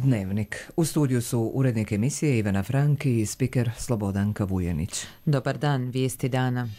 Dnevnik. U studiju su urednik emisije Ivana Franki i spiker Slobodanka Vujenić. Dobar dan, vijesti dana.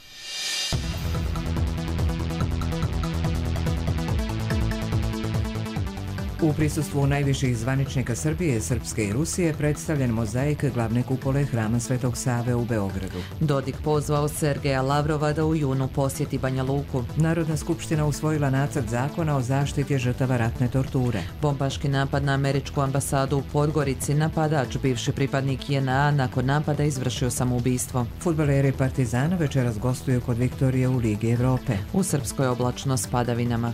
U prisustvu najviših zvaničnika Srbije, Srpske i Rusije predstavljen mozaik glavne kupole Hrama Svetog Save u Beogradu. Dodik pozvao Sergeja Lavrova da u junu posjeti Banja Luku. Narodna skupština usvojila nacrt zakona o zaštiti žrtava ratne torture. Bombaški napad na američku ambasadu u Podgorici, napadač, bivši pripadnik JNA, nakon napada izvršio samoubistvo. Fudbaleri Partizana večeras gostuju kod Viktorije u Ligi Evrope. U Srpskoj oblačno s padavinama.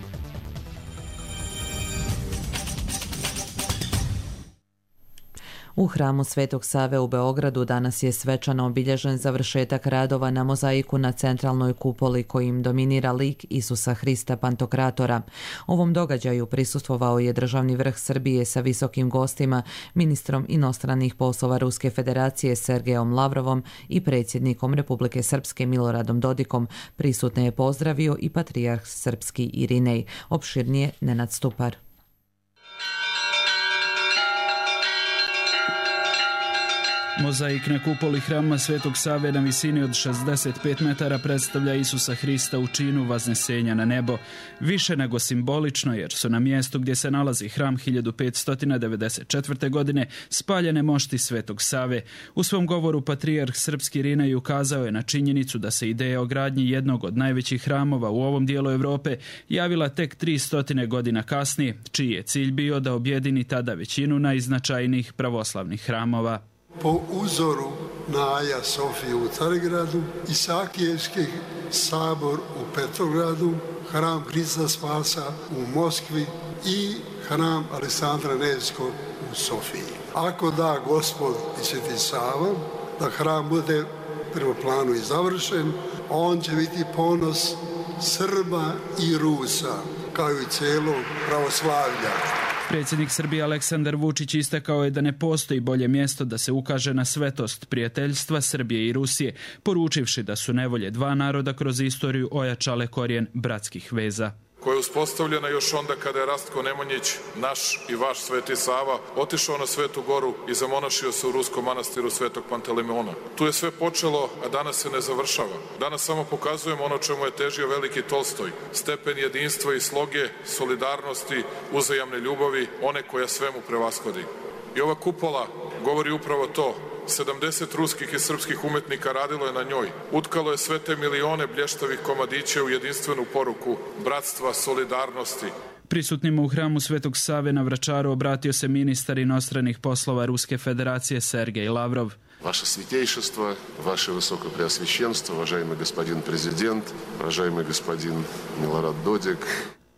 U Hramu Svetog Save u Beogradu danas je svečano obilježen završetak radova na mozaiku na centralnoj kupoli kojim dominira lik Isusa Hrista Pantokratora. Ovom događaju prisustvovao je državni vrh Srbije sa visokim gostima, ministrom inostranih poslova Ruske federacije Sergejom Lavrovom i predsjednikom Republike Srpske Miloradom Dodikom. Prisutne je pozdravio i patrijarh srpski Irinej. Opširnije Nenad Stupar. Mozaik na kupoli Hrama Svetog Save na visini od 65 metara predstavlja Isusa Hrista u činu vaznesenja na nebo. Više nego simbolično, jer su na mjestu gdje se nalazi hram 1594. godine spaljene mošti Svetog Save. U svom govoru patrijarh srpski Irinej ukazao je na činjenicu da se ideja o gradnji jednog od najvećih hramova u ovom dijelu Europe javila tek 300 godina kasnije, čiji je cilj bio da objedini tada većinu najznačajnijih pravoslavnih hramova. Po uzoru na Aja Sofiju u Carigradu, Isakijevski sabor u Petrogradu, hram Hrista Spasa u Moskvi i hram Aleksandra Nevskog u Sofiji. Ako da Gospod i Sveti Sava, da hram bude prvo planu i završen, on će biti ponos Srba i Rusa, kao i cijelog pravoslavlja. Predsjednik Srbije Aleksandar Vučić istakao je da ne postoji bolje mjesto da se ukaže na svetost prijateljstva Srbije i Rusije, poručivši da su nevolje dva naroda kroz istoriju ojačale korijen bratskih veza. Koja je uspostavljena još onda kada je Rastko Nemanjić, naš i vaš Sveti Sava, otišao na Svetu Goru i zamonašio se u ruskom manastiru Svetog Panteleimona. Tu je sve počelo, a danas se ne završava. Danas samo pokazujemo ono čemu je težio veliki Tolstoj, stepen jedinstva i sloge, solidarnosti, uzajamne ljubavi, one koja svemu prevashodi. I ova kupola govori upravo to. 70 ruskih i srpskih umetnika radilo je na njoj. Utkalo je sve te milione blještavih komadića u jedinstvenu poruku bratstva, solidarnosti. Prisutnima u hramu Svetog Save na Vračaru obratio se ministar inostranih poslova Ruske federacije Sergej Lavrov. Ваше святейшество, ваше высокопреосвященство, уважаемый господин президент, уважаемый господин Милорад Додик.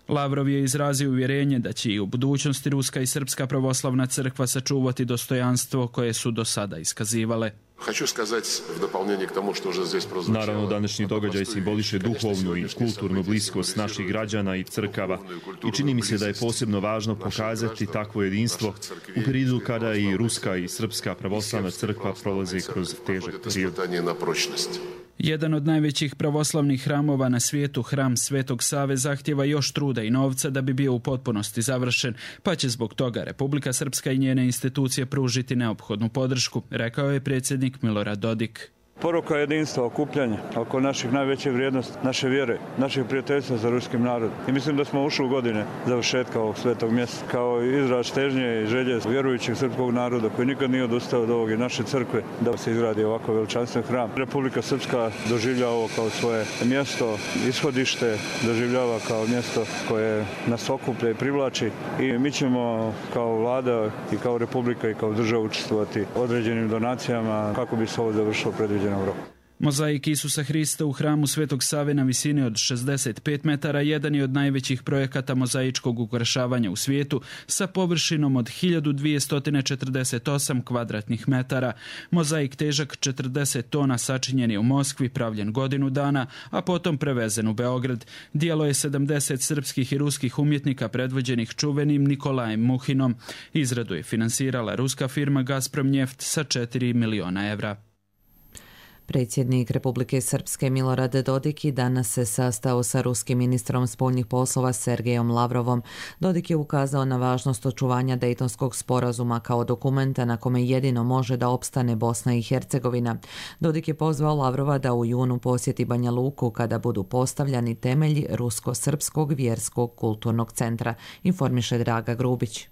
Lavrov je izrazio uvjerenje da će i u budućnosti Ruska i Srpska pravoslavna crkva sačuvati dostojanstvo koje su do sada iskazivale. Naravno, današnji događaj simboliše duhovnu i kulturnu bliskost naših građana i crkava i čini mi se da je posebno važno pokazati takvo jedinstvo u periodu kada i Ruska i Srpska pravoslavna crkva prolaze kroz težak period. Jedan od najvećih pravoslavnih hramova na svijetu, hram Svetog Save, zahtjeva još truda i novca da bi bio u potpunosti završen, pa će zbog toga Republika Srpska i njene institucije pružiti neophodnu podršku, rekao je predsjednik Milorad Dodik. Poruka jedinstva, okupljanja oko naših najvećih vrijednosti, naše vjere, naših prijateljstva za ruskim narodom. I mislim da smo ušli u godine završetka ovog svetog mjesta kao izraz težnje i želje vjerujućeg srpskog naroda koji nikad nije odustao od ovog i naše crkve da se izgradi ovako veličanstven hram. Republika Srpska doživljava ovo kao svoje mjesto, ishodište, doživljava kao mjesto koje nas okuplja i privlači i mi ćemo kao vlada i kao republika i kao država učestvovati određenim donacijama kako bi se ovo završilo predviđeno. Mozaik Isusa Hrista u hramu Svetog Save na visini od 65 metara jedan je od najvećih projekata mozaičkog ukrašavanja u svijetu sa površinom od 1248 kvadratnih metara. Mozaik težak 40 tona sačinjen je u Moskvi, pravljen godinu dana, a potom prevezen u Beograd. Dijelo je 70 srpskih i ruskih umjetnika predvođenih čuvenim Nikolajem Muhinom. Izradu je finansirala ruska firma Gazprom Njeft sa 4 miliona evra. Predsjednik Republike Srpske Milorad Dodik i danas se sastao sa ruskim ministrom spoljnih poslova Sergejom Lavrovom. Dodik je ukazao na važnost očuvanja Dejtonskog sporazuma kao dokumenta na kome jedino može da opstane Bosna i Hercegovina. Dodik je pozvao Lavrova da u junu posjeti Banja Luku kada budu postavljani temelji Rusko-srpskog vjerskog kulturnog centra, informiše Draga Grubić.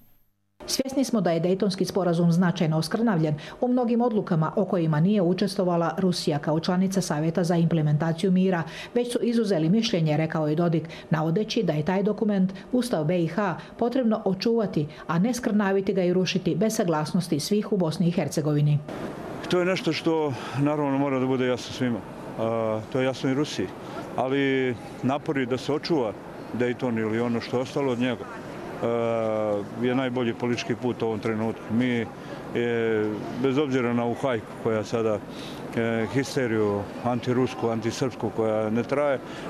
Svjesni smo da je Dejtonski sporazum značajno oskrnavljen u mnogim odlukama o kojima nije učestvovala Rusija kao članica Savjeta za implementaciju mira, već su izuzeli mišljenje, rekao je Dodik, navodeći da je taj dokument, Ustav BiH, potrebno očuvati, a ne skrnaviti ga i rušiti bez saglasnosti svih u Bosni i Hercegovini. To je nešto što naravno mora da bude jasno svima. To je jasno i Rusiji. Ali napori da se očuva Dejton ili ono što je ostalo od njega je najbolji politički put u ovom trenutku. Mi, bez obzira na ovu hajku koja sada histeriju antirusku, antisrpsku koja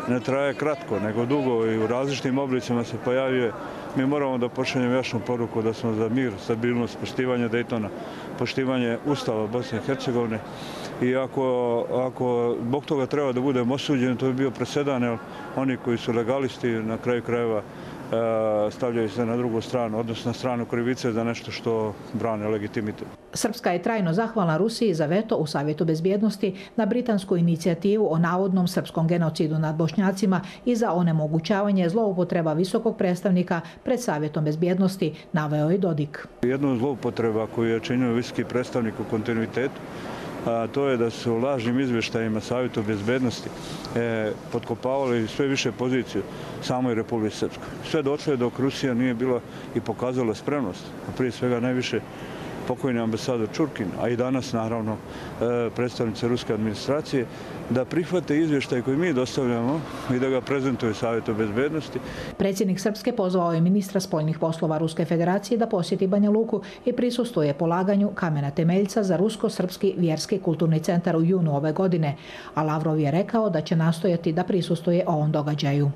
ne traje kratko, nego dugo i u različitim oblicima se pojavljuje, mi moramo da pošaljemo jasnu poruku da smo za mir, stabilnost, poštivanje Dejtona, poštivanje Ustava Bosne i Hercegovine. I ako zbog toga treba da budemo osuđeni, to bi bio presedan, jer oni koji su legalisti na kraju krajeva stavljaju se na drugu stranu, odnosno na stranu krivice za nešto što brane legitimitet. Srpska je trajno zahvalna Rusiji za veto u Savjetu bezbjednosti na britansku inicijativu o navodnom srpskom genocidu nad Bošnjacima i za onemogućavanje zloupotreba visokog predstavnika pred Savjetom bezbjednosti, naveo je Dodik. Jedna zloupotreba koju je činio visoki predstavnik u kontinuitetu, a to je da su lažnim izvještajima Savjeta bezbjednosti potkopavali sve više poziciju samoj Republici Srpskoj. Sve došlo je dok Rusija nije bila i pokazala spremnost, a prije svega najviše pokojni ambasador Čurkin, a i danas naravno predstavnice ruske administracije, da prihvate izvještaj koji mi dostavljamo i da ga prezentuju Savjetu bezbjednosti. Predsjednik Srpske pozvao je ministra spoljnih poslova Ruske federacije da posjeti Banja Luku i prisustvuje polaganju kamena temeljca za Rusko-srpski vjerski kulturni centar u junu ove godine, a Lavrov je rekao da će nastojati da prisustvuje ovom događaju.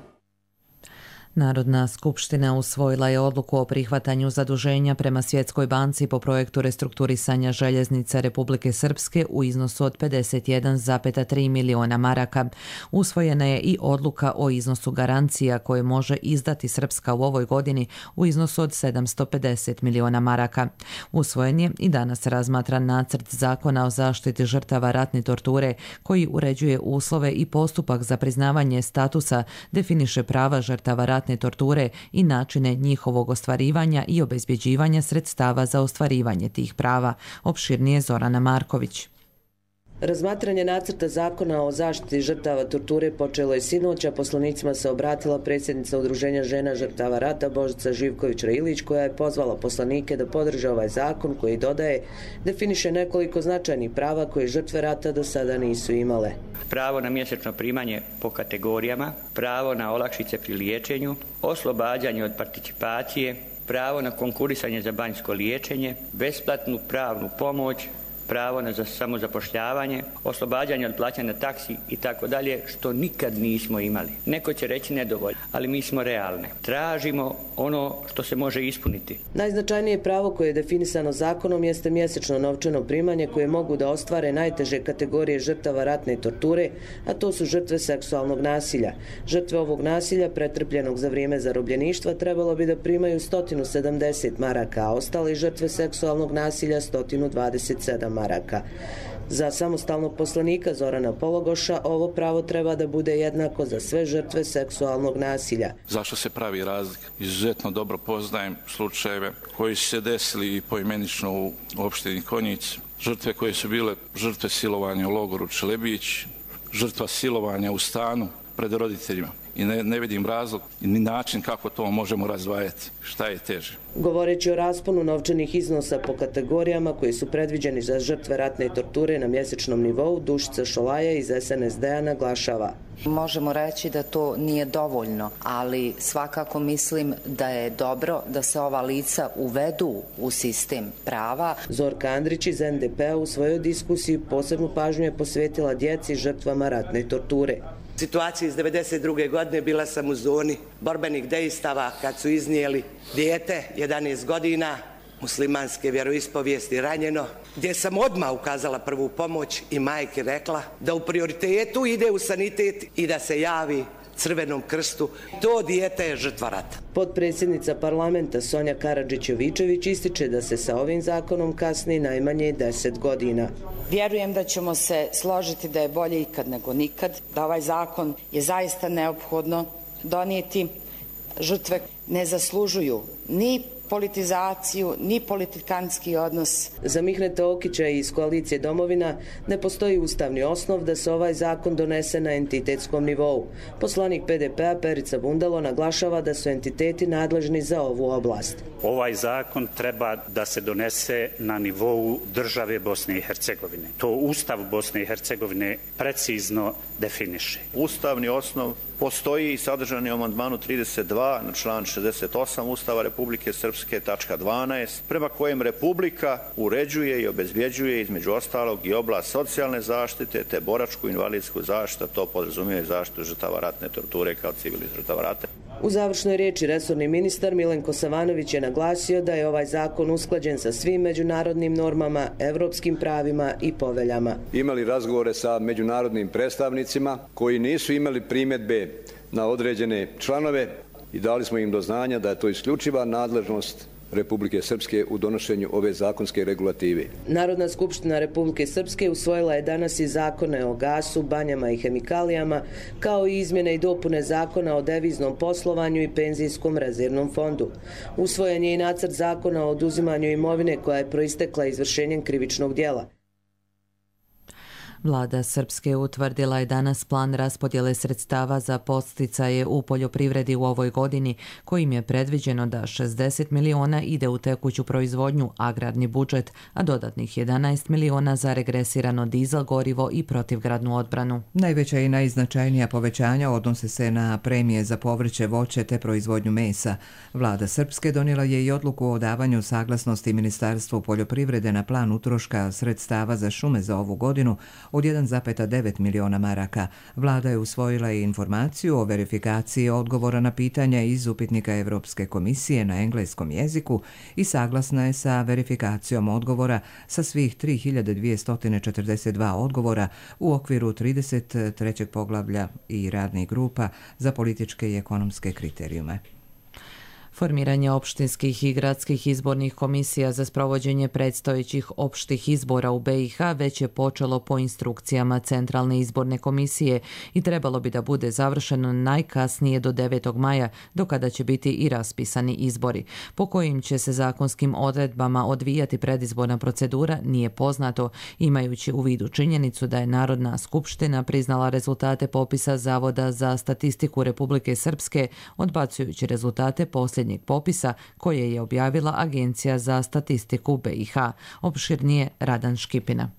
Narodna skupština usvojila je odluku o prihvatanju zaduženja prema Svjetskoj banci po projektu restrukturisanja željeznica Republike Srpske u iznosu od 51,3 miliona maraka. Usvojena je i odluka o iznosu garancija koje može izdati Srpska u ovoj godini u iznosu od 750 miliona maraka. Usvojen je i danas razmatran nacrt zakona o zaštiti žrtava ratne torture koji uređuje uslove i postupak za priznavanje statusa, definiše prava žrtava ratne torture i načine njihovog ostvarivanja i obezbjeđivanja sredstava za ostvarivanje tih prava. Opširnije Zorana Marković. Razmatranje nacrta zakona o zaštiti žrtava torture počelo je sinoć, a poslanicima se obratila predsjednica Udruženja žena žrtava rata Božica Živković-Railić, koja je pozvala poslanike da podrže ovaj zakon koji, dodaje, definiše nekoliko značajnih prava koje žrtve rata do sada nisu imale. Pravo na mjesečno primanje po kategorijama, pravo na olakšice pri liječenju, oslobađanje od participacije, pravo na konkurisanje za banjsko liječenje, besplatnu pravnu pomoć, pravo na samozapošljavanje, oslobađanje od plaćanja taksi i tako dalje, što nikad nismo imali. Neko će reći nedovoljno, ali mi smo realne. Tražimo ono što se može ispuniti. Najznačajnije pravo koje je definisano zakonom jeste mjesečno novčano primanje koje mogu da ostvare najteže kategorije žrtava ratne torture, a to su žrtve seksualnog nasilja. Žrtve ovog nasilja pretrpljenog za vrijeme zarobljeništva trebalo bi da primaju 170 maraka, a ostale žrtve seksualnog nasilja 127 maraka. Za samostalnog poslanika Zorana Pologoša ovo pravo treba da bude jednako za sve žrtve seksualnog nasilja. Zašto se pravi razlika? Izuzetno dobro poznajem slučajeve koji su se desili i poimenično u opštini Konjic. Žrtve koje su bile žrtve silovanja u logoru Čelebić, žrtva silovanja u stanu pred roditeljima. I ne vidim razlog ni način kako to možemo razdvajati. Šta je teže? Govoreći o rasponu novčanih iznosa po kategorijama koji su predviđeni za žrtve ratne torture na mjesečnom nivou, Dušica Šolaja iz SNSD-a naglašava. Možemo reći da to nije dovoljno, ali svakako mislim da je dobro da se ova lica uvedu u sistem prava. Zorka Andrić iz NDP-a u svojoj diskusiji posebnu pažnju je posvetila djeci žrtvama ratne torture. Situacija iz 1992. godine bila sam u zoni borbenih dejstava kad su iznijeli dijete 11 godina muslimanske vjeroispovijesti ranjeno, gdje sam odmah ukazala prvu pomoć i majke rekla da u prioritetu ide u sanitet i da se javi Crvenom krstu. To dijete je žrtva rata. Potpredsjednica parlamenta Sonja Karadžić-Jovičević ističe da se sa ovim zakonom kasni najmanje 10 godina. Vjerujem da ćemo se složiti da je bolje ikad nego nikad, da ovaj zakon je zaista neophodno donijeti. Žrtve ne zaslužuju ni politizaciju, ni politikantski odnos. Za Mihneta Okića iz koalicije Domovina ne postoji ustavni osnov da se ovaj zakon donese na entitetskom nivou. Poslanik PDP-a Perica Bundalo naglašava da su entiteti nadležni za ovu oblast. Ovaj zakon treba da se donese na nivou države Bosne i Hercegovine. To Ustav Bosne i Hercegovine precizno definiše. Ustavni osnov postoji i sadržan je u amandmanu 32 na član 68 Ustava Republike Srpske, tačka 12, prema kojem Republika uređuje i obezbjeđuje između ostalog i oblast socijalne zaštite te boračku invalidsku zaštitu, to podrazumijeva zaštitu žrtava ratne torture kao civilnih žrtava rata. U završnoj riječi resorni ministar Milenko Savanović je naglasio da je ovaj zakon usklađen sa svim međunarodnim normama, evropskim pravima i poveljama. Imali razgovore sa međunarodnim predstavnicima koji nisu imali primjedbe na određene članove i dali smo im do znanja da je to isključiva nadležnost Republike Srpske u donošenju ove zakonske regulative. Narodna skupština Republike Srpske usvojila je danas i zakone o gasu, banjama i hemikalijama, kao i izmjene i dopune zakona o deviznom poslovanju i penzijskom rezervnom fondu. Usvojen je i nacrt zakona o oduzimanju imovine koja je proistekla izvršenjem krivičnog djela. Vlada Srpske utvrdila je danas plan raspodjele sredstava za podsticaje u poljoprivredi u ovoj godini, kojim je predviđeno da 60 miliona ide u tekuću proizvodnju, agrarni budžet, a dodatnih 11 miliona za regresirano dizel gorivo i protivgradnu odbranu. Najveća i najznačajnija povećanja odnose se na premije za povrće, voće te proizvodnju mesa. Vlada Srpske donijela je i odluku o davanju saglasnosti Ministarstvu poljoprivrede na plan utroška sredstava za šume za ovu godinu od 1,9 miliona maraka. Vlada je usvojila i informaciju o verifikaciji odgovora na pitanja iz upitnika Evropske komisije na engleskom jeziku i saglasna je sa verifikacijom odgovora sa svih 3242 odgovora u okviru 33. poglavlja i radnih grupa za političke i ekonomske kriterijume. Formiranje opštinskih i gradskih izbornih komisija za sprovođenje predstojećih opštih izbora u BiH već je počelo po instrukcijama Centralne izborne komisije i trebalo bi da bude završeno najkasnije do 9. maja, do kada će biti i raspisani izbori. Po kojim će se zakonskim odredbama odvijati predizborna procedura nije poznato, imajući u vidu činjenicu da je Narodna skupština priznala rezultate popisa Zavoda za statistiku Republike Srpske, odbacujući rezultate posljednjeg popisa koje je objavila Agencija za statistiku BiH. Opširnije Radan Škipina.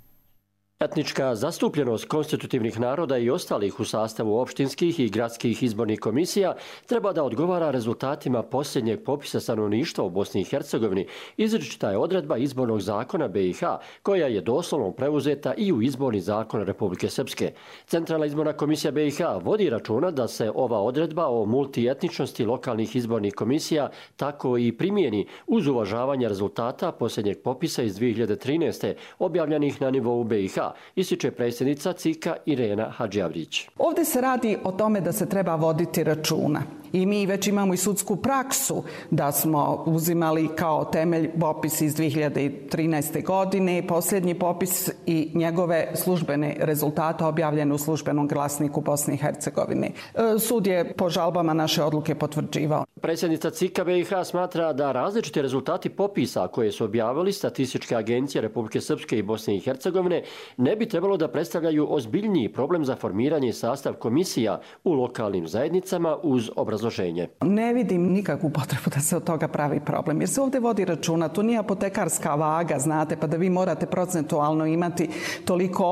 Etnička zastupljenost konstitutivnih naroda i ostalih u sastavu opštinskih i gradskih izbornih komisija treba da odgovara rezultatima posljednjeg popisa stanovništva u Bosni i Hercegovini. Izričita je odredba izbornog zakona BiH, koja je doslovno preuzeta i u izborni zakon Republike Srpske. Centralna izborna komisija BiH vodi računa da se ova odredba o multietničnosti lokalnih izbornih komisija tako i primijeni uz uvažavanje rezultata posljednjeg popisa iz 2013. objavljenih na nivou BiH, ističe predsjednica CIK-a Irena Hadžijavrić. Ovdje se radi o tome da se treba voditi računa. I mi već imamo i sudsku praksu da smo uzimali kao temelj popis iz 2013. godine, posljednji popis i njegove službene rezultate objavljene u službenom glasniku Bosne i Hercegovine. Sud je po žalbama naše odluke potvrđivao. Predsjednica CIK-a BiH smatra da različiti rezultati popisa koje su objavili statističke agencije Republike Srpske i Bosne i Hercegovine ne bi trebalo da predstavljaju ozbiljniji problem za formiranje i sastav komisija u lokalnim zajednicama uz obrazloženje. Ne vidim nikakvu potrebu da se od toga pravi problem, jer se ovdje vodi računa, to nije apotekarska vaga, znate, pa da vi morate procentualno imati toliko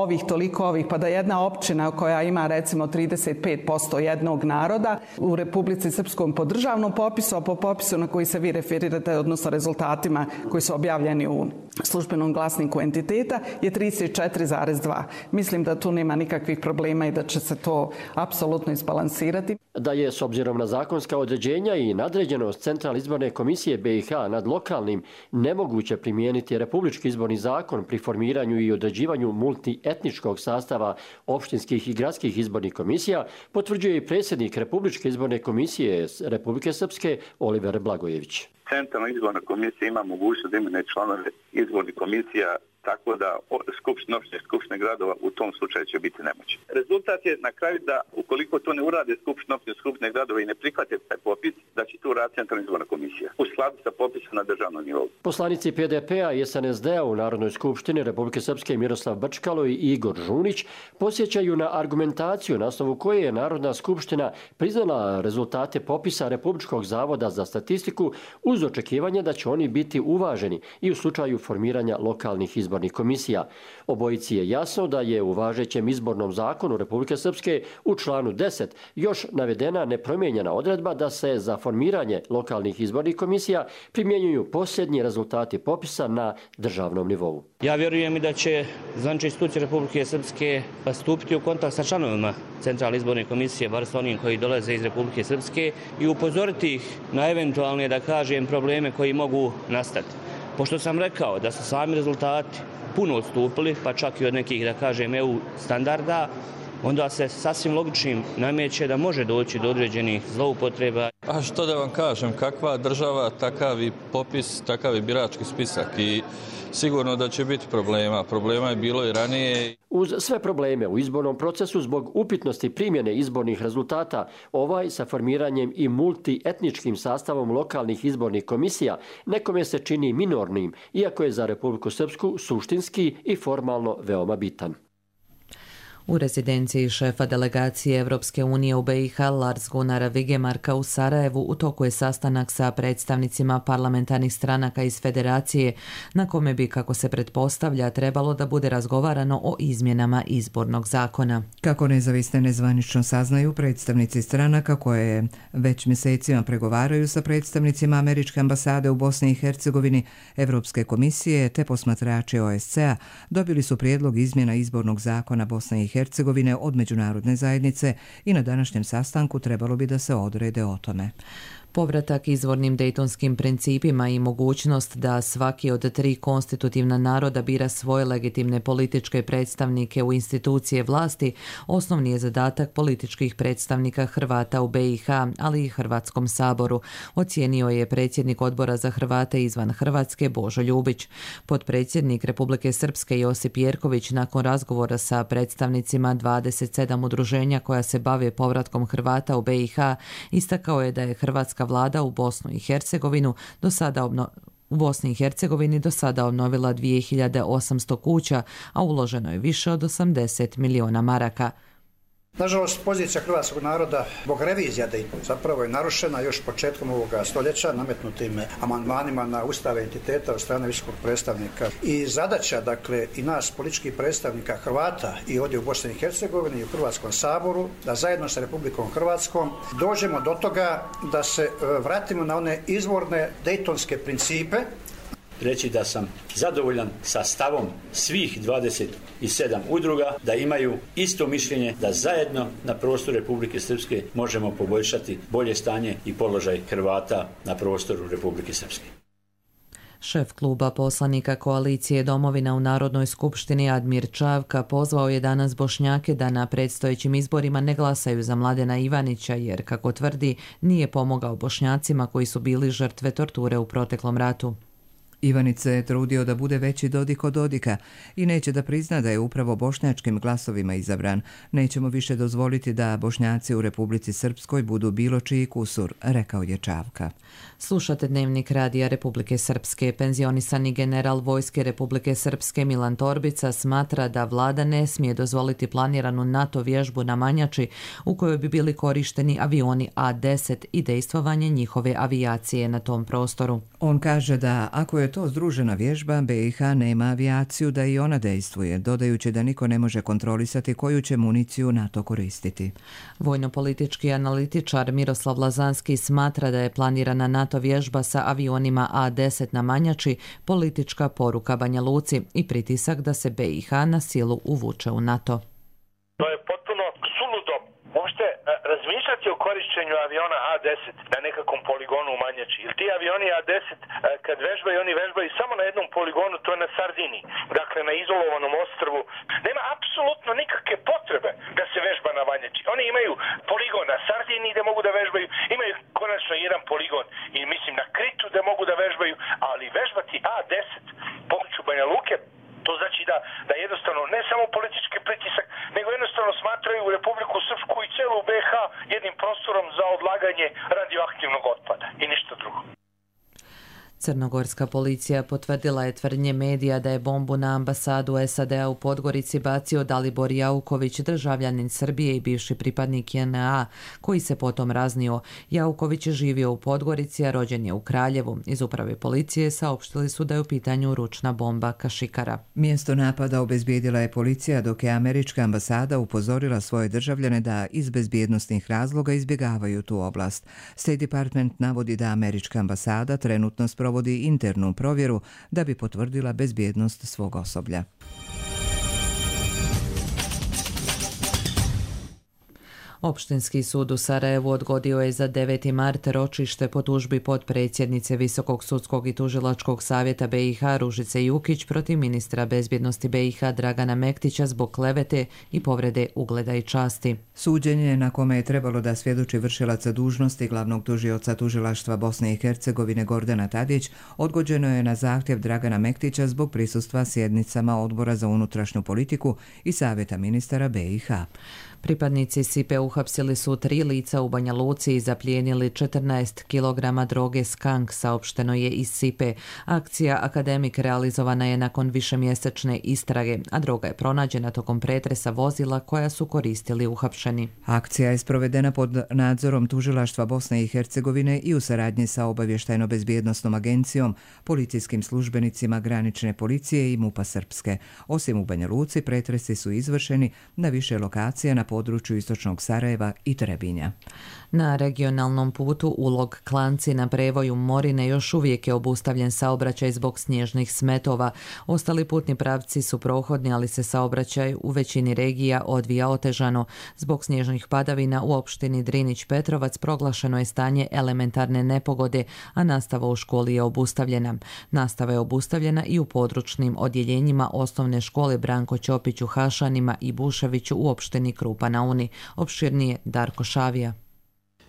ovih, pa da jedna općina koja ima recimo 35% jednog naroda u Republici Srpskom po državnom popisu, a po popisu na koji se vi referirate, odnosno rezultatima koji su objavljeni u službenom glasniku entiteta je 34,2. Mislim da tu nema nikakvih problema i da će se to apsolutno izbalansirati. Da je s obzirom na zakonska određenja i nadređenost Centralne izborne komisije BiH nad lokalnim nemoguće primijeniti Republički izborni zakon pri formiranju i određivanju multietničkog sastava opštinskih i gradskih izbornih komisija, potvrđuje i predsjednik Republičke izborne komisije Republike Srpske Oliver Blagojević. Centralna izborna komisija ima mogućnost da imenuje članove izbornih komisija, tako da opštine skupštine gradova u tom slučaju će biti nemoćni. Rezultat je na kraju da ukoliko to ne urade skupštine gradova i ne prihvate taj popis, da će tu raditi Centralna izborna komisija u skladu sa popisom na državnom nivou. Poslanici PDP-a i SNSD-a u Narodnoj skupštini Republike Srpske Miroslav Brčkalo i Igor Žunić posjećaju na argumentaciju na osnovu koje je Narodna skupština priznala rezultate popisa Republičkog zavoda za statistiku uz očekivanje da će oni biti uvaženi i u slučaju formiranja lokalnih izbornih komisija. Obojici je jasno da je u važećem izbornom zakonu Republike Srpske u članu 10 još navedena nepromijenjena odredba da se za formiranje lokalnih izbornih komisija primjenjuju posljednji rezultati popisa na državnom nivou. Ja vjerujem i da će zvanične institucije Republike Srpske stupiti u kontakt sa članovima Centralne izborne komisije, bar sa onim koji dolaze iz Republike Srpske, i upozoriti ih na eventualne, da kažem, probleme koji mogu nastati. Pošto sam rekao da su sami rezultati puno odstupili, pa čak i od nekih, da kažem, EU standarda, onda se sasvim logičnim nameće da može doći do određenih zloupotreba. A što da vam kažem, kakva država, takav i popis, takav i birački spisak i sigurno da će biti problema. Problema je bilo i ranije. Uz sve probleme u izbornom procesu zbog upitnosti primjene izbornih rezultata, ovaj sa formiranjem i multietničkim sastavom lokalnih izbornih komisija nekome se čini minornim, iako je za Republiku Srpsku suštinski i formalno veoma bitan. U rezidenciji šefa delegacije Evropske unije u BiH Lars Gunnara Vigemarka u Sarajevu u toku je sastanak sa predstavnicima parlamentarnih stranaka iz federacije, na kome bi, kako se pretpostavlja, trebalo da bude razgovarano o izmjenama izbornog zakona. Kako nezavisne nezvanično saznaju predstavnici stranaka koje već mjesecima pregovaraju sa predstavnicima Američke ambasade u Bosni i Hercegovini, Evropske komisije te posmatrači OSCE-a dobili su prijedlog izmjena izbornog zakona Bosne i Hercegovine od međunarodne zajednice i na današnjem sastanku trebalo bi da se odrede o tome. Povratak izvornim dejtonskim principima i mogućnost da svaki od 3 konstitutivna naroda bira svoje legitimne političke predstavnike u institucije vlasti osnovni je zadatak političkih predstavnika Hrvata u BiH, ali i Hrvatskom saboru, ocijenio je predsjednik Odbora za Hrvate izvan Hrvatske Božo Ljubić. Potpredsjednik Republike Srpske Josip Jerković nakon razgovora sa predstavnicima 27 udruženja koja se bave povratkom Hrvata u BiH istakao je da je hrvatska vlada u Bosni i Hercegovini do sada obnovila 2800 kuća, a uloženo je više od 80 miliona maraka. Nažalost, pozicija hrvatskog naroda zbog revizija Daytona zapravo je narušena još početkom ovoga stoljeća nametnutim amandmanima na ustave entiteta od strane visokog predstavnika. I zadaća, dakle, i nas političkih predstavnika Hrvata i ovdje u Bosni i Hercegovini i u Hrvatskom saboru, da zajedno sa Republikom Hrvatskom dođemo do toga da se vratimo na one izvorne dejtonske principe. Reći da sam zadovoljan sa stavom svih 27 udruga, da imaju isto mišljenje da zajedno na prostoru Republike Srpske možemo poboljšati bolje stanje i položaj Hrvata na prostoru Republike Srpske. Šef kluba poslanika koalicije Domovina u Narodnoj skupštini Admir Čavka pozvao je danas Bošnjake da na predstojećim izborima ne glasaju za Mladena Ivanića jer, kako tvrdi, nije pomogao Bošnjacima koji su bili žrtve torture u proteklom ratu. Ivanić se je trudio da bude veći Dodik od Dodika i neće da prizna da je upravo bošnjačkim glasovima izabran. Nećemo više dozvoliti da Bošnjaci u Republici Srpskoj budu bilo čiji kusur, rekao je Čavka. Slušate Dnevnik radija Republike Srpske. Penzionisani general Vojske Republike Srpske Milan Torbica smatra da vlada ne smije dozvoliti planiranu NATO vježbu na Manjači u kojoj bi bili korišteni avioni A-10 i dejstvovanje njihove avijacije na tom prostoru. On kaže da ako je je to združena vježba, BiH nema avijaciju da i ona dejstvuje, dodajući da niko ne može kontrolisati koju će municiju NATO koristiti. Vojnopolitički analitičar Miroslav Lazanski smatra da je planirana NATO vježba sa avionima A-10 na Manjači politička poruka Banja Luci i pritisak da se BiH na silu uvuče u NATO. To je potpuno suludo uopšte razmišljati o korišćenju aviona A-10 na nekakvom poligonu u Manjači. Jer ti avioni A-10 kad vežbaju, oni vežbaju samo na jednom poligonu, to je na Sardiniji. Dakle, na izolovanom ostrvu. Nema apsolutno nikakve potrebe da se vežba na Manjači. Oni imaju poligon na Sardiniji da mogu da vežbaju, imaju konačno jedan poligon i mislim na Kritu da mogu da vežbaju, ali vežbati A-10 području Banja Luke, to znači da jednostavno ne samo politički pritisak, nego jednostavno smatraju Republiku Srpsku i celu BiH jednim prostorom za odlaganje radioaktivnog otpada i ništa drugo. Crnogorska policija potvrdila je tvrdnje medija da je bombu na ambasadu SAD-a u Podgorici bacio Dalibor Jauković, državljanin Srbije i bivši pripadnik JNA, koji se potom raznio. Jauković je živio u Podgorici, a rođen je u Kraljevu. Iz uprave policije saopštili su da je u pitanju ručna bomba kašikara. Mjesto napada obezbijedila je policija, dok je američka ambasada upozorila svoje državljane da iz bezbjednosnih razloga izbjegavaju tu oblast. State Department navodi da američka ambasada trenutno provodi internu provjeru da bi potvrdila bezbjednost svog osoblja. Opštinski sud u Sarajevu odgodio je za 9. mart ročište po tužbi potpredsjednice Visokog sudskog i tužilačkog savjeta BiH Ružice Jukić protiv ministra bezbjednosti BiH Dragana Mektića zbog klevete i povrede ugleda i časti. Suđenje na kome je trebalo da svjedoči vršilaca dužnosti glavnog tužioca tužilaštva Bosne i Hercegovine Gordana Tadić odgođeno je na zahtjev Dragana Mektića zbog prisustva sjednicama Odbora za unutrašnju politiku i Savjeta ministara BiH. Pripadnici SIPE uhapsili su 3 lica u Banja Luci i zaplijenili 14 kg droge skank, saopšteno je iz SIPE. Akcija Akademik realizovana je nakon višemjesečne istrage, a droga je pronađena tokom pretresa vozila koja su koristili uhapšeni. Akcija je sprovedena pod nadzorom tužilaštva Bosne i Hercegovine i u saradnji sa obavještajno-bezbjednosnom agencijom, policijskim službenicima granične policije i MUP-a Srpske. Osim u Banja Luci, pretresi su izvršeni na više lokacija na području istočnog Sarajeva i Trebinja. Na regionalnom putu Ulog Klanci na prevoju Morine još uvijek je obustavljen saobraćaj zbog snježnih smetova. Ostali putni pravci su prohodni, ali se saobraćaj u većini regija odvija otežano. Zbog snježnih padavina u opštini Drinić Petrovac proglašeno je stanje elementarne nepogode, a nastava u školi je obustavljena. Nastava je obustavljena i u područnim odjeljenjima osnovne škole Branko Ćopić u Hašanima i Buševiću u opštini Krupa na Uni. Opširnije Darko Šavija.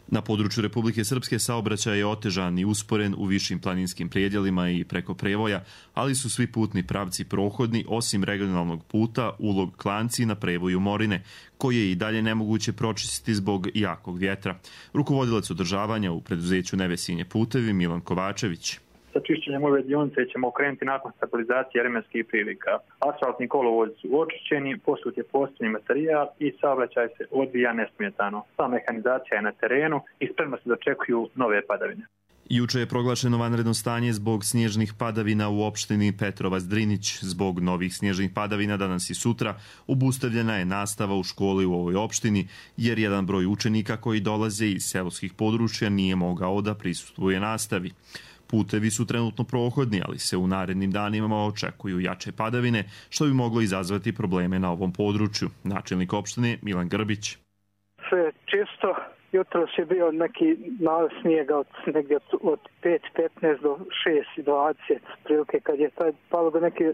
Na području Republike Srpske saobraćaj je otežan i usporen u višim planinskim predjelima i preko prevoja, ali su svi putni pravci prohodni osim regionalnog puta Ulog Klanci na prevoju Morine, koje je i dalje nemoguće pročistiti zbog jakog vjetra. Rukovodilac održavanja u preduzeću Nevesinje putevi Milan Kovačević. Sa čišćenjem ove dionice ćemo krenuti nakon stabilizacije vremenskih prilika. Asfaltni kolovozi su očišćeni, posut je postoji materijal i saobraćaj se odvija nesmetano. Sva mehanizacija je na terenu i spremno se dočekuju nove padavine. Juče je proglašeno vanredno stanje zbog snježnih padavina u opštini Petrovac-Drinić. Zbog novih snježnih padavina danas i sutra obustavljena je nastava u školi u ovoj opštini, jer jedan broj učenika koji dolaze iz seoskih područja nije mogao da prisustvuje nastavi. Putevi su trenutno prohodni, ali se u narednim danima očekuju jače padavine, što bi moglo izazvati probleme na ovom području. Načelnik opštine Milan Grbić. Sve čisto. Jutros je bio neki nalaz snijega negdje od 5-15 do 6-20, prilike kad je palo do neke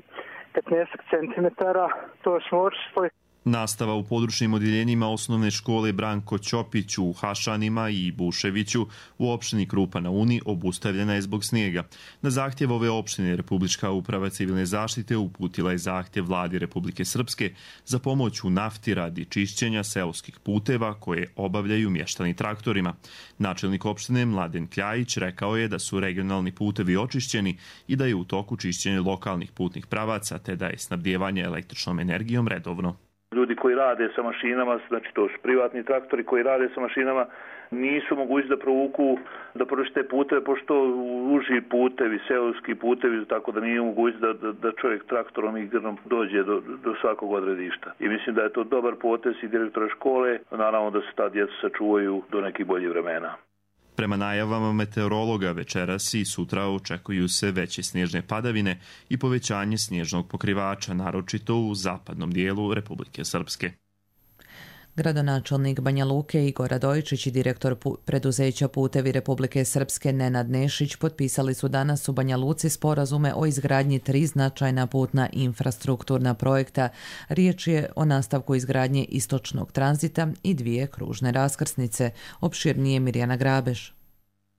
15 centimetara, to smo očistili. Nastava u područnim odjeljenjima osnovne škole Branko Ćopić u Hašanima i Buševiću u opštini Krupa na Uni obustavljena je zbog snijega. Na zahtjev ove opštine Republička uprava civilne zaštite uputila je zahtjev vladi Republike Srpske za pomoć u nafti radi čišćenja seoskih puteva koje obavljaju mještani traktorima. Načelnik opštine Mladen Kljajić rekao je da su regionalni putevi očišćeni i da je u toku čišćenje lokalnih putnih pravaca te da je snabdijevanje električnom energijom redovno. Ljudi koji rade sa mašinama, znači to su privatni traktori koji rade sa mašinama, nisu mogući da provuku, da prošle puteve, pošto uži putevi, seoski putevi, tako da nije mogući da čovjek traktorom i grnom dođe do svakog odredišta. I mislim da je to dobar potez i direktora škole, naravno da se ta djeca sačuvaju do nekih boljih vremena. Prema najavama meteorologa večeras i sutra očekuju se veće snježne padavine i povećanje snježnog pokrivača, naročito u zapadnom dijelu Republike Srpske. Gradonačelnik Banja Luke Igor Radojičić i direktor preduzeća Putevi Republike Srpske Nenad Nešić potpisali su danas u Banja Luci sporazume o izgradnji 3 značajna putna infrastrukturna projekta. Riječ je o nastavku izgradnje istočnog tranzita i 2 kružne raskrsnice. Opširnije Mirjana Grabeš.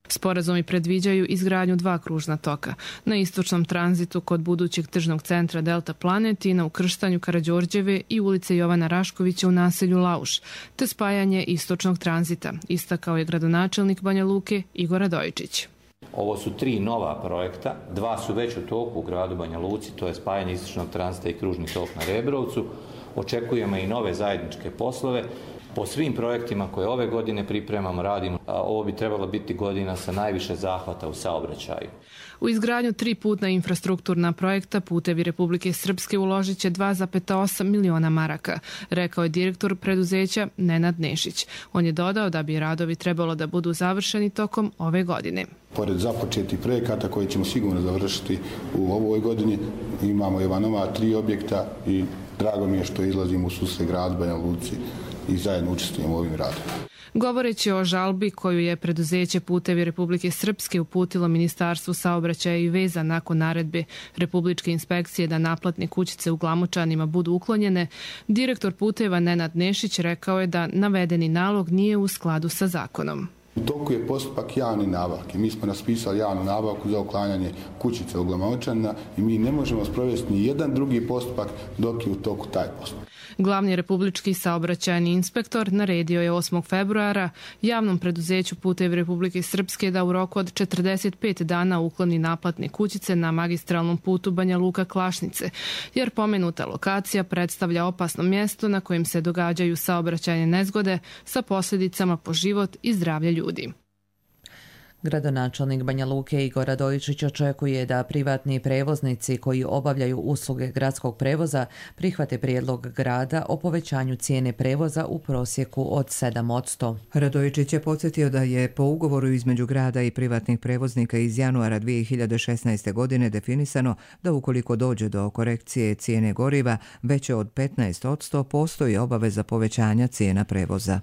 Sporazumi predviđaju izgradnju 2 kružna toka. Na istočnom tranzitu kod budućeg tržnog centra Delta Planet i na ukrštanju Karađorđeve i ulice Jovana Raškovića u naselju Lauš, te spajanje istočnog tranzita, istakao je gradonačelnik Banja Luke Igor Radojičić. Ovo su 3 nova projekta, 2 su već u toku u gradu Banja Luci, to je spajanje istočnog tranzita i kružni tok na Rebrovcu. Očekujemo i nove zajedničke poslove. Po svim projektima koje ove godine pripremamo, radimo, ovo bi trebalo biti godina sa najviše zahvata u saobraćaju. U izgradnju 3 putna infrastrukturna projekta Putevi Republike Srpske uložit će 2,8 miliona maraka, rekao je direktor preduzeća Nenad Nešić. On je dodao da bi radovi trebalo da budu završeni tokom ove godine. Pored započetih projekata koje ćemo sigurno završiti u ovoj godini, imamo ova nova 3 objekta i drago mi je što izlazimo u susret gradu Banja Luci i zajedno učestvujemo u ovim radovima. Govoreći o žalbi koju je preduzeće Putevi Republike Srpske uputilo Ministarstvu saobraćaja i veza nakon naredbe Republičke inspekcije da naplatne kućice u Glamočanima budu uklonjene, direktor Puteva Nenad Nešić rekao je da navedeni nalog nije u skladu sa zakonom. U toku je postupak javne nabavke. Mi smo raspisali javnu nabavku za uklanjanje kućice u Glamočanima i mi ne možemo sprovesti ni jedan drugi postupak dok je u toku taj postupak. Glavni republički saobraćajni inspektor naredio je 8. februara javnom preduzeću Putevi Republike Srpske da u roku od 45 dana ukloni naplatne kućice na magistralnom putu Banja Luka-Klašnice, jer pomenuta lokacija predstavlja opasno mjesto na kojem se događaju saobraćajne nezgode sa posljedicama po život i zdravlje ljudi. Gradonačelnik Banja Luke Igor Radojičić očekuje da privatni prevoznici koji obavljaju usluge gradskog prevoza prihvate prijedlog grada o povećanju cijene prevoza u prosjeku od 7%. Radojičić je podsjetio da je po ugovoru između grada i privatnih prevoznika iz januara 2016. godine definisano da ukoliko dođe do korekcije cijene goriva veće od 15%, postoji obaveza povećanja cijena prevoza.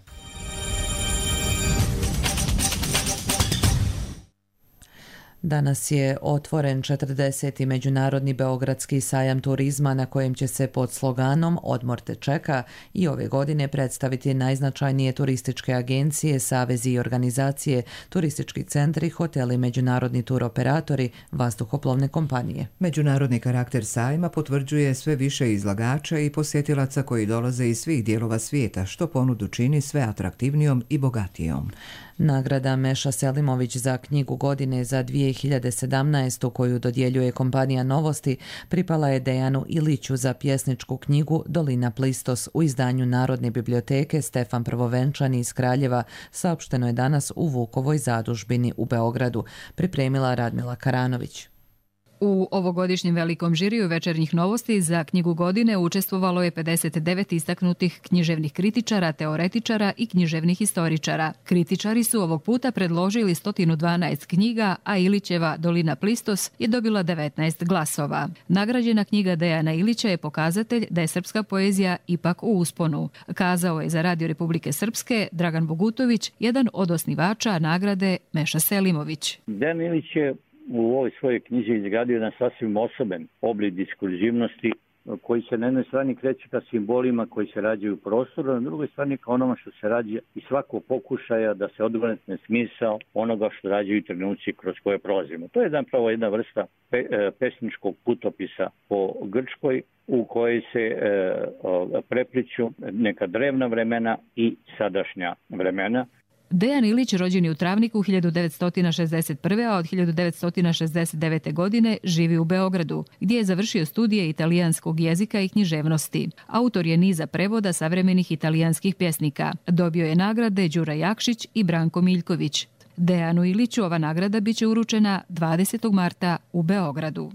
Danas je otvoren 40. Međunarodni beogradski sajam turizma na kojem će se pod sloganom Odmor te čeka i ove godine predstaviti najznačajnije turističke agencije, savezi i organizacije, turistički centri, hoteli, međunarodni turoperatori, vazduhoplovne kompanije. Međunarodni karakter sajma potvrđuje sve više izlagača i posjetilaca koji dolaze iz svih dijelova svijeta, što ponudu čini sve atraktivnijom i bogatijom. Nagrada Meša Selimović za knjigu godine za 2017. koju dodjeljuje kompanija Novosti pripala je Dejanu Iliću za pjesničku knjigu Dolina Plistos u izdanju Narodne biblioteke Stefan Prvovenčani iz Kraljeva, saopšteno je danas u Vukovoj zadužbini u Beogradu, pripremila Radmila Karanović. U ovogodišnjem velikom žiriju Večernjih novosti za knjigu godine učestvovalo je 59 istaknutih književnih kritičara, teoretičara i književnih historičara. Kritičari su ovog puta predložili 112 knjiga, a Ilićeva Dolina Plistos je dobila 19 glasova. Nagrađena knjiga Dejana Ilića je pokazatelj da je srpska poezija ipak u usponu, kazao je za Radio Republike Srpske Dragan Bogutović, jedan od osnivača nagrade Meša Selimović. Dejan Ilić je u ovoj svojoj knjizi izgradio jedan sasvim osoben oblik diskurzivnosti koji se na jednoj strani kreće ka simbolima koji se rađaju u prostoru, a na drugoj strani ka onoma što se rađa i svako pokušaja da se odvrne smisao onoga što rađaju trenuci kroz koje prolazimo. To je zapravo jedna vrsta pesničkog putopisa po Grčkoj u kojoj se prepliću neka drevna vremena i sadašnja vremena. Dejan Ilić rođen je u Travniku 1961. a od 1969. godine živi u Beogradu, gdje je završio studije italijanskog jezika i književnosti. Autor je niza prevoda savremenih italijanskih pjesnika. Dobio je nagrade Đura Jakšić i Branko Miljković. Dejanu Iliću ova nagrada biće uručena 20. marta u Beogradu.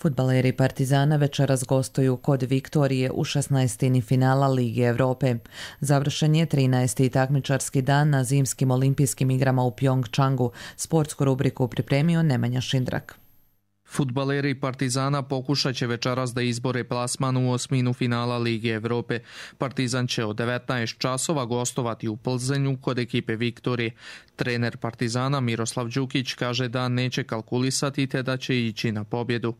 Fudbaleri Partizana večeras gostuju kod Viktorije u 16. finala Lige Evrope. Završen je 13. takmičarski dan na zimskim olimpijskim igrama u Pjongčangu. Sportsku rubriku pripremio Nemanja Šindrak. Fudbaleri Partizana pokušat će večeras da izbore plasman u osminu finala Lige Evrope. Partizan će od 19 časova gostovati u Plzenju kod ekipe Viktorije. Trener Partizana Miroslav Đukić kaže da neće kalkulisati te da će ići na pobjedu.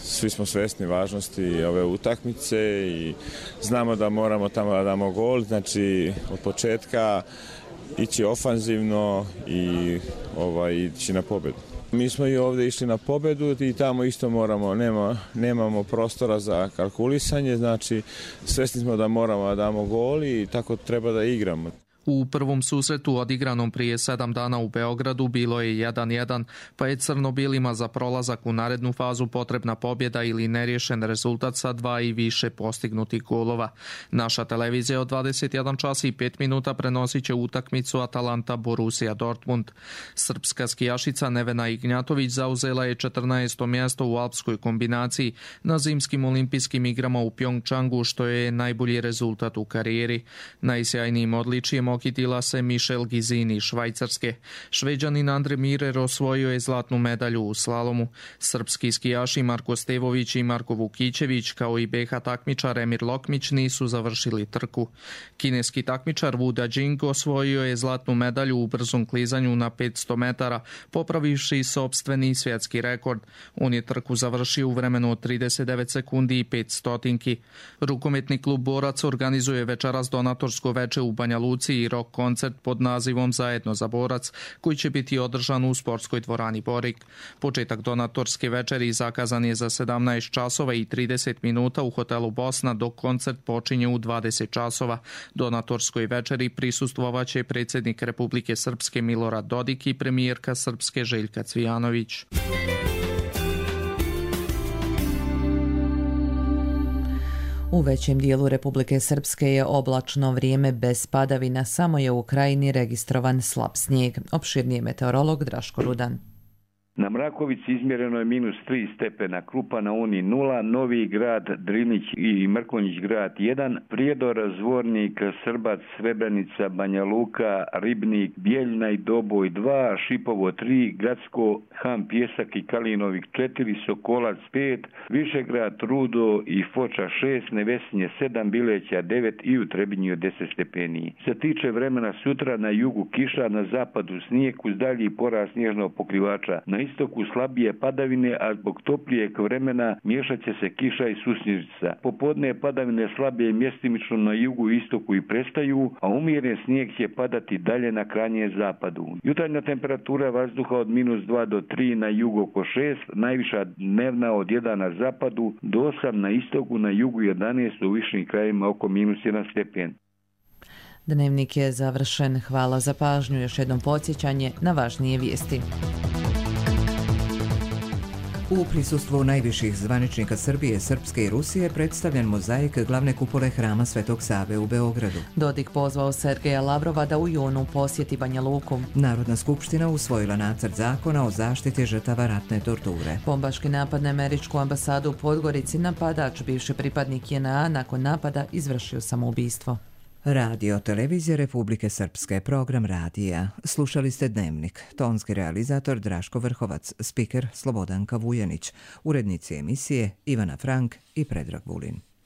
Svi smo svjesni važnosti ove utakmice i znamo da moramo tamo da damo gol, znači od početka ići ofanzivno i ići na pobjedu. Mi smo i ovdje išli na pobjedu i tamo isto nemamo prostora za kalkulisanje, znači svjesni smo da moramo da damo gol i tako treba da igramo. U prvom susretu odigranom prije 7 dana u Beogradu bilo je 1-1, pa je crno-bijelima za prolazak u narednu fazu potrebna pobjeda ili neriješen rezultat sa 2 i više postignutih golova. Naša televizija od 21 čas i 5 minuta prenosit će utakmicu Atalanta Borussia Dortmund. Srpska skijašica Nevena Ignjatović zauzela je 14. mjesto u alpskoj kombinaciji na zimskim olimpijskim igrama u Pjongčangu, što je najbolji rezultat u karijeri. Najsjajnijim odličijem okitila se Michel Gizini iz Švajcarske. Šveđanin Andre Mirer osvojio je zlatnu medalju u slalomu. Srpski skijaši Marko Stevović i Marko Vukićević kao i BH takmičar Emir Lokmić nisu završili trku. Kineski takmičar Wu Dajing osvojio je zlatnu medalju u brzom klizanju na 500 metara, popravivši sopstveni svjetski rekord. On je trku završio u vremenu od 39 sekundi i 5 stotinki. Rukometni klub Borac organizuje večeras donatorsko veče u Banja Luci i rock koncert pod nazivom Zajedno za Borac, koji će biti održan u sportskoj dvorani Borik. Početak donatorske večeri zakazan je za 17 časova i 30 minuta u hotelu Bosna, dok koncert počinje u 20 časova. Donatorskoj večeri prisustvovaće predsjednik Republike Srpske Milorad Dodik i premijerka Srpske Željka Cvijanović. U većem dijelu Republike Srpske je oblačno vrijeme bez padavina, samo je u krajini registrovan slab snijeg. Opširniji meteorolog Draško Rudan. Na Mrakovici izmjereno je -3 stepena, Krupa na Uni 0, Novi Grad, Drinić i Mrkonjić Grad 1, Prijedor, Zvornik, Srbac, Srebrenica, Banja Luka, Ribnik, Bijeljna i Doboj 2, Šipovo 3, Gradsko, Ham, Pjesak i Kalinovik 4, Sokolac 5, Višegrad, Rudo i Foča 6, Nevesinje 7, Bileća 9 i u Trebinju 10 stepeni. Se tiče vremena sutra, na jugu kiša, na zapadu snijeg uz dalji porast snježnog pokrivača. Na istoku slabije padavine, a zbog toplijeg vremena miješat će se kiša i susnježica. Popodne padavine slabije mjestimično na jugu i istoku i prestaju, a umjeren snijeg će padati dalje na krajnjem zapadu. Jutarnja temperatura vazduha od -2 do 3 na jugu oko 6, najviša dnevna od 1 na zapadu do 8 na istoku, na jugu 11, u višim krajevima oko -1 stepen. Dnevnik je završen. Hvala za pažnju. Još jednom podsjećanje na važnije vijesti. U prisustvu najviših zvaničnika Srbije, Srpske i Rusije predstavljen mozaik glavne kupole Hrama Svetog Save u Beogradu. Dodik pozvao Sergeja Lavrova da u junu posjeti Banja Luku. Narodna skupština usvojila nacrt zakona o zaštiti žrtava ratne torture. Bombaški napad na američku ambasadu u Podgorici, napadač, bivši pripadnik JNA, nakon napada izvršio samoubistvo. Radio Televizija Republike Srpske, program radija. Slušali ste Dnevnik. Tonski realizator Draško Vrhovac, spiker Slobodanka Vujanić, urednici emisije Ivana Frank i Predrag Vulin.